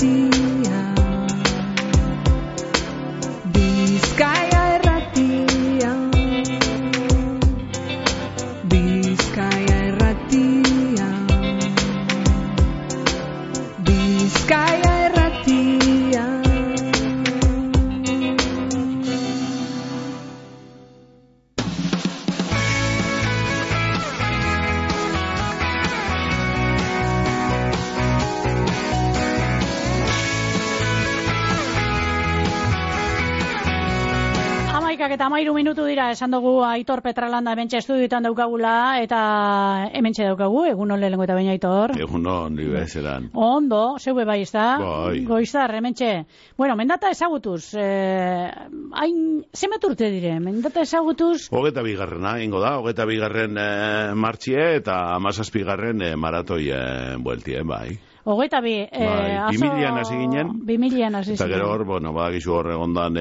Irratia, Bizkaia Irratia, Bizkaia Irratia, Bizkaia Irratia. Eta 13 minutu dira, esan dugu Aitor Petralanda hementxe estudioetan daukagula, eta hementxe daukagu, egun on lehenengo eta baina Aitor. Egun on, nire zelan. Ondo, zeue bai, ez da? Bai. Goizar, hementxe. Bueno, mendata ezagutuz, zenbat urte dire, mendata ezagutuz? 22. ingo da, 22. Martxie eta 17. Maratoi bueltie, bai. 22. 2000an hasi ginen. 2000an hasi Eta ginen. gero hor, bueno, badakizu hor egondan,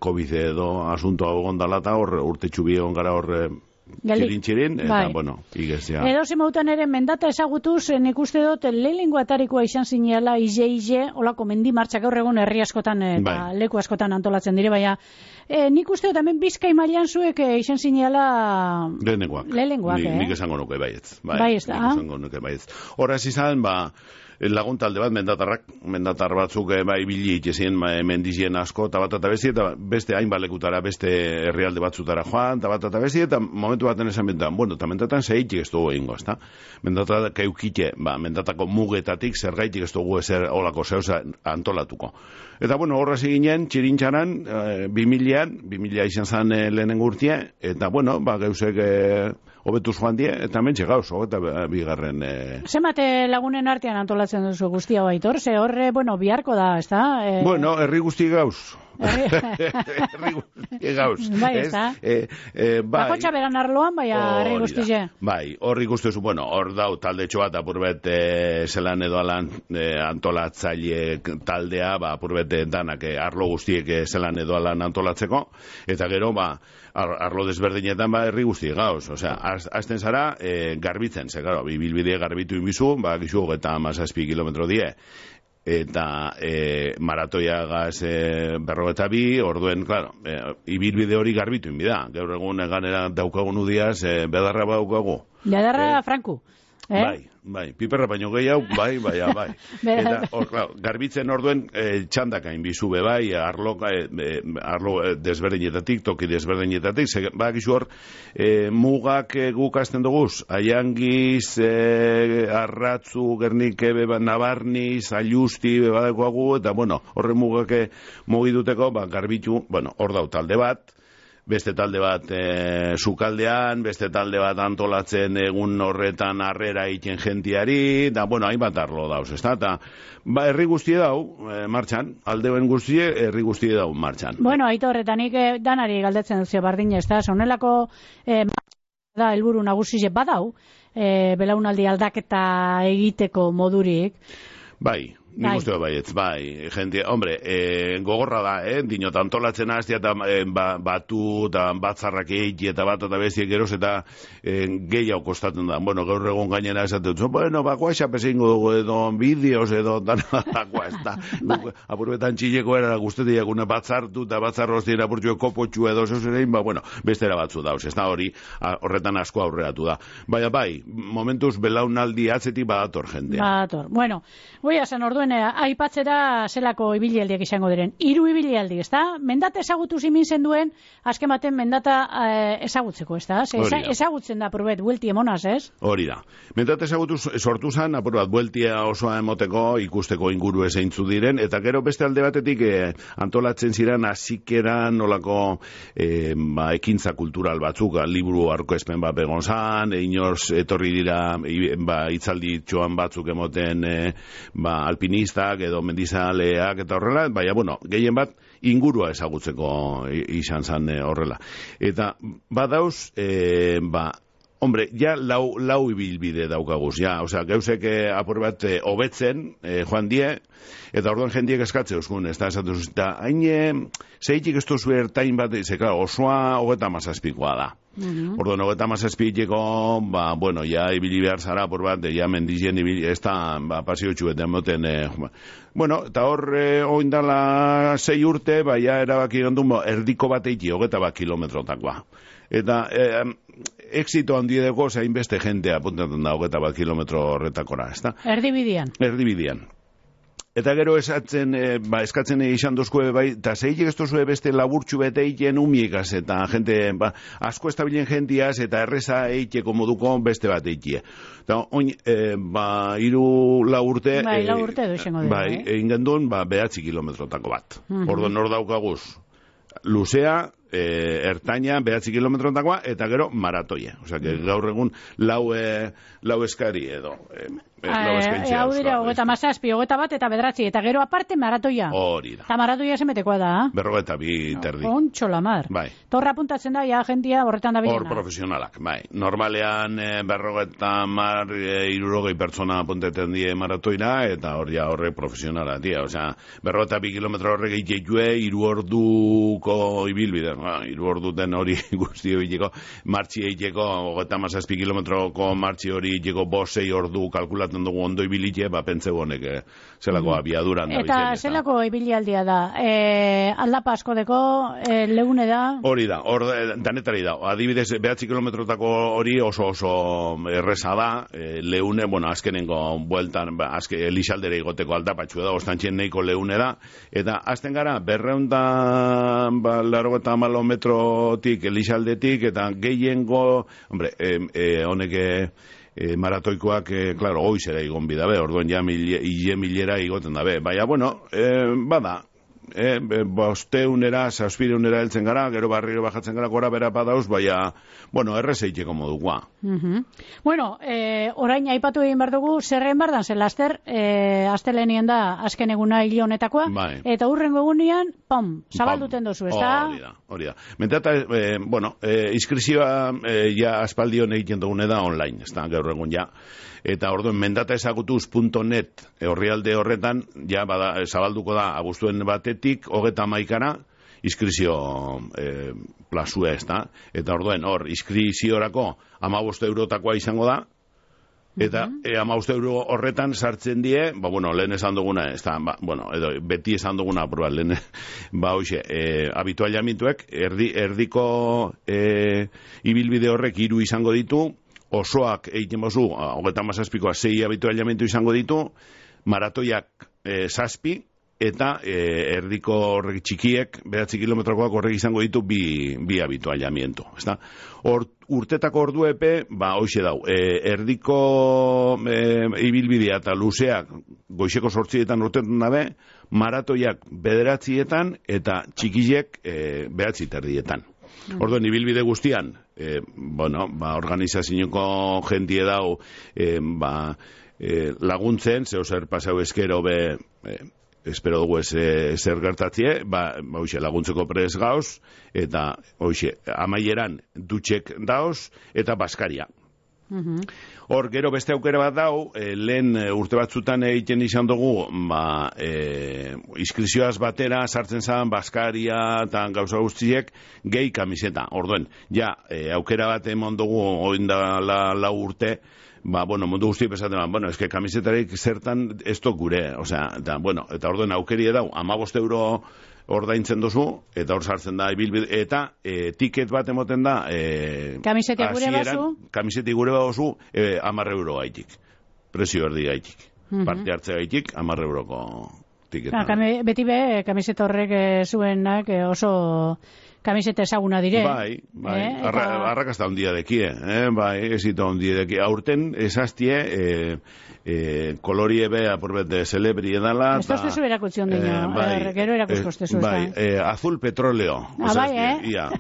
COVID edo asuntoa egondala eta hor urtetxu bi egon gara hor txirin, eta, bai. bueno, igezia. Edo zemautan ere mendata ezagutuz, nik uste dut lehenengo atarikoa izan zinela ize, olako mendi martxak gaur egun herri askotan eta leku askotan antolatzen dire, baina nik uste dut hemen Bizkai mailan zuek izan zinela lehenengoak, Nik esango nuke baietz. Bai, ez da. Nik esango nuke baietz. Horraz izan, lagun talde bat, mendatar batzuk ibili itxezien mendizien asko, eta beste hainbat lekutara, beste herrialde batzutara joan, eta beste, eta momentu baten esan mentan, bueno, eta mendatan zehaitik ez dugu egingo, ezta? Mendatak keukite, mendatako mugetatik zergaitik ez dugu ezer olako zeuza antolatuko. Eta, bueno, horraz ginen, txirintxaran, 2000 izan zen lehenengo urtia, eta, bueno, geusek hobetuz joan die, eta mentxe gauz, eta bigarren... Zemate lagunen artean antolatzen duzu guztia Aitor, ze horre, bueno, biharko da, ez da? Bueno, herri guzti gauz. Herri guzti gauz. Bai, ez da? Bakotxa beran arloan, bai, herri guztize. Bai, horri guztiozu, bueno, hor dau talde txoat apurbet zelan edo alan antolatzaile taldea, apurbet danak arlo guztiek zelan edo alan antolatzeko, eta gero, arlo desberdinetan herri guzti gauz, osea, azten zara garbitzen, ze, claro, bilbide garbitu inbizu, gizu, eta 17 kilometro die, eta maratoia gaz 52, orduen, claro, ibilbide hori garbitu inbida, gaur egun ganera daukagun udiaz, bedarra daukagu. Bedarra Franku. Bai, piperra baino gehiago, bai. Eta, garbitzen orduen txandakain bizube, bai, arlo desberdinetatik, toki desberdinetatik, gizu hor, mugak gukazten duguz, Aiangiz, Arratzu, Gernike, Nabarniz, Aiusti, badakoagu, eta, bueno, horre mugak mugiduteko, garbitu, bueno, hor dau talde bat, beste talde bat sukaldean, beste talde bat antolatzen egun horretan harrera egiten jentiari, da, bueno, hainbat arlo dauz, ez da? Eta, herri guztie dau, martxan, aldeuen guztie, herri guztie dau, martxan. Bueno, Aitor, eta nik danari galdetzen duzio bardina, ez da? Sonelako da, helburu nagusize badau, belaunaldi aldaketa egiteko modurik. Bai. Nik uste baietz, jente, hombre, gogorra da, dinot, antolatzen hastia eta batu eta batzarrak egi eta bat eta bestiek eroz eta gehiago kostatzen da. Bueno, gaur egon gainera esaten dut, bueno, bakoa pezingo dugu edo bideos edo dakoa, ez da. Apurbetan txileko era guztetik una batzartu eta batzarroztien apurtxue kopotxu edo zeuzerein, bueno, bestera batzu dauz, ez da hori, horretan asko aurreatu da. Bai, momentuz belaunaldi atzetik badator jendea. Badator, bueno, goia zen orduen aipatzera zelako ibilialdiak izango diren. 3 ibilialdi, ez da? Mendata ezagutu zimin zen duen, azken baten mendata ezagutzeko, ez da? Ezagutzen da, apurbet, buelti emonaz, ez? Hori da. Mendata ezagutu sortu zen, apurbet, bueltia osoa emoteko, ikusteko inguru ezeintzu diren, eta gero beste alde batetik antolatzen ziren azikeran nolako ekintza kultural batzuk, liburu aurkezpen bat begon zan, inorz etorri dira hitzaldi txoan batzuk emoten alpinistak edo mendizaleak eta horrela, baina, bueno, gehien bat ingurua ezagutzeko izan zan horrela. Eta badauz, hombre, ja lau ibilbide daukaguz, ja, osea, geusek apur bat hobetzen, joan die, eta orduan jendiek eskatze euskun, ez da, esatuz, eta hain zeitik ez duzu ertain bat, ze, klar, osoa 37koa da. Orduan, 37 hileko, bueno, ja ibili behar zara, por bat, ja mendizien ibili, ez da, pasio txuetan moten, bueno, eta hor, oindala 6 urte, ja erabaki gondun, erdiko bat eiki, 21 kilometrotakoa. Eta, exito handiedeko, zain beste jentea apuntatzen da, 21 kilometro horretakora, ez da? Erdibidian. Erdibidian. Eta gero esatzen, eskatzen izan dozkue, bai, eta zeitek ez dozue beste laburtxu bete eiken umiekaz, eta jente, asko estabilen jentiaz, eta erreza eiteko moduko beste bat eikie. Eta oin, 3-4 urte... Bai, 4 urte duzengo dugu. Bai, egin gendun, 9 kilometrotako bat. Orduan hor daukaguz, luzea, ertaina, 9 kilometrotakoa, eta gero maratoia. Osea, gaur egun lau eskari edo... Hau dira, 27, 21 eta 9, eta gero aparte maratoia. Hori da. Eta maratoia zemetekoa da. 42 terdi. Ontxo lamar. Bai. Torra apuntatzen da, ja, jentia horretan da bilena. Hor profesionalak, bai. Normalean 60 pertsona apunteten die maratoira, eta hor ja horre profesionala, tia. Osea, 42 kilometro horrek eitxue, 3 orduko ibilbide. 3 orduten hori guzti egiteko, martxi egiteko, 37 kilometroko martxi hori egiteko 5-6 ordu kalkulatzen dugu ondo ibilitie, pentseu honek zelako abiaduran da. Eta zelako ibilialdia da? Aldapa asko deko, leune da? Hori da, danetari da. Adibidez, 9 kilometrotako hori oso erreza da, leune, bueno, azkenengo bueltan, elixaldere igoteko aldapatxu da, ostantxien neiko leune da, eta azten gara, 280 metrotik, elixaldetik, eta gehiengo, hombre, honek... maratoikoak, klaro, goizera igon bidabe, orduan ja milera igoten dabe. Baina, bueno, bada, 500, 600 heltzen gara, gero barriro bajatzen gara, gora bera padauz, baina, bueno, errezeiteko modukoa. Bueno, orain aipatu egin behar dugu, zerren bardan, zen laster, astelenien da azken eguna hil honetakoa, eta hurrengo egunean, zabalduten dozu, ez da? Hori da. Mentata, bueno, inskripzioa ja aspaldion egiten dugune da online, ez da, gaur egun ja. Eta orduan, mendataezagutuz.net horrialde horretan, ja, zabalduko da, abuztuen batetik, 31 inskripzio plazua, ez da. Eta orduan, hor, inskripziorako 15 eurotakoa izango da, eta 15 euro horretan sartzen die, bueno, lehen esan duguna, ez da, bueno, edo, beti esan duguna, proba, lehen, hoxe, habitualiamentuek, erdiko ibilbide horrek 3 izango ditu, osoak egiten bozu, 37koa 6 habitualiamentu izango ditu, maratoiak 7, eta erdiko horrek txikiek, 9 kilometrokoak horrek izango ditu 2 habitualiamentu. Urtetako ordu epe, hoxe dau, erdiko ibilbidea eta luzeak goizeko 8etan urtetan dabe, maratoiak 9etan eta txikiek 9:30. Orduan, ibilbide guztian, bueno, organizazioko jentie dau, laguntzen, zeo zer pasau eskero espero dugu zer gertatzie, hoxe, laguntzeko prez gauz, eta hoxe, amaieran dutxek dauz, eta baskaria. Hor, gero beste aukera bat dau, lehen urte batzutan egiten izan dugu, inskripzioaz batera sartzen zan baskaria eta gauza guztiek gehi kamiseta. Orduen, ja, aukera bat emon dugu oinda lau urte, bueno, mundu guzti pesaten, bueno, eske kamisetarik zertan ez dok gure, osea, eta, bueno, eta orduen aukeri edau, 15 euro ordaintzen dozu, eta hor sartzen da ibilbide, eta tiket bat emoten da kamiseti gure bazu? Kamiseti gure bazu 10 euro gaitik. Prezio erdi gaitik. Parte hartze gaitik 10 euroko tiketa. Beti be, kamiseta horrek zuenak oso kamiseta ezaguna dire. Bai. Arrakasta ondia dekie. Bai, ezito ondia dekie. Aurten esaztie kolorie be apurbet de celebri edala. Ez da zu erakutzion dino. Gero erakuzkostezu. Bai, azul petroleo. Bai, Ia,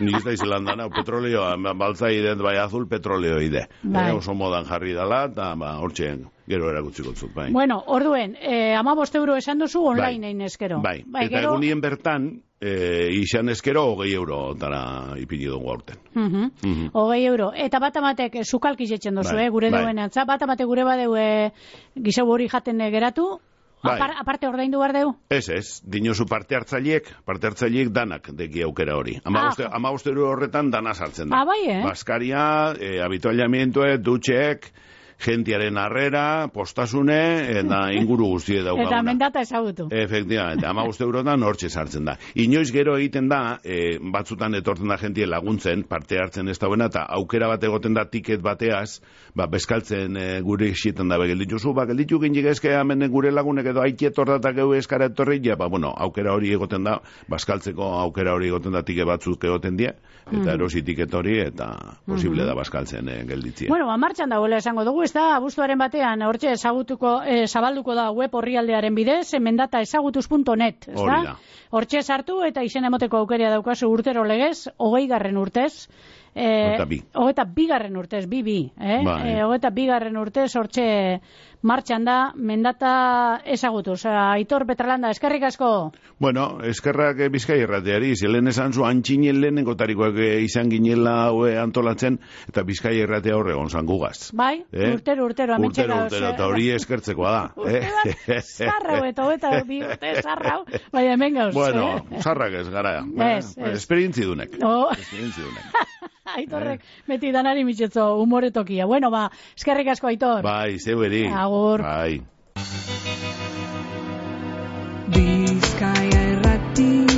nik ez da izelandan, petroleo, baltza ide, bai, azul petroleo ide. Oso modan jarri dala, eta hortxeen gero erakutziko zut, bai. Bueno, orduen, 15 euro esan duzu online egin eskero. Bai, eta egunien bertan, izan eskero 20 euro tara ipini dugu aurten. 20 euro. Eta bat amatek zukalki jetzen duzu, gure duen antza. Bat amatek gure badeu gizau hori jaten geratu, Aparte ordaindu behar deu? Ez, dinosu parte hartzaileek danak deki aukera hori. 15 euro horretan dana sartzen da. Bai, Baskaria, habituallamientoe, dutxeek, gentiaren harrera, postasune, eta inguru guztie daukaguna. Eta mendata ezagutu. Efectivamente, 15 eurotan hortxe sartzen da. Inoiz gero egiten da, batzutan etortzen da jentie laguntzen, parte hartzen ez dauena, eta aukera bat egoten da tiket bateaz, bezkaltzen gure xietan da begeldituzu, gelditu gindik ezke hemen gure lagunek edo aikietordatak egu eskara etorri, aukera hori egoten da, bazkaltzeko aukera hori egoten da tiket batzuk egoten die, eta erosi tiket hori, eta posible da bazkaltzen gelditzia. Bueno, martxan dagoela esango dugu, da, abuztuaren batean, hortxe zabalduko da web orrialdearen bidez, mendataezagutuz.net, ez da? Hortxe sartu eta izen emoteko aukeria daukazu urtero legez, 20. urtez, 22. urtez, 22. urtez, hortxe martxan da, mendata ezagutuz. Aitor Petralanda, eskerrik asko? Bueno, eskerrak Bizkai Irratiari, zelen esan zu antxinen lehenengo tarikoak izan ginela antolatzen, eta Bizkai Irratia horregon zangugaz. Bai, urtero, Urtero, eta hori eskertzekoa da. Zarrau, eta bi urte zarrau, bai, hemen gauz. Bueno, zarrak ez gara. Esperientzidunek. Aitorrek, beti danari mitxetzo humoretokia. Bueno, eskerrik asko, Aitor. Bai, zeueri. Agur. Bai. Bizkaia Irratia.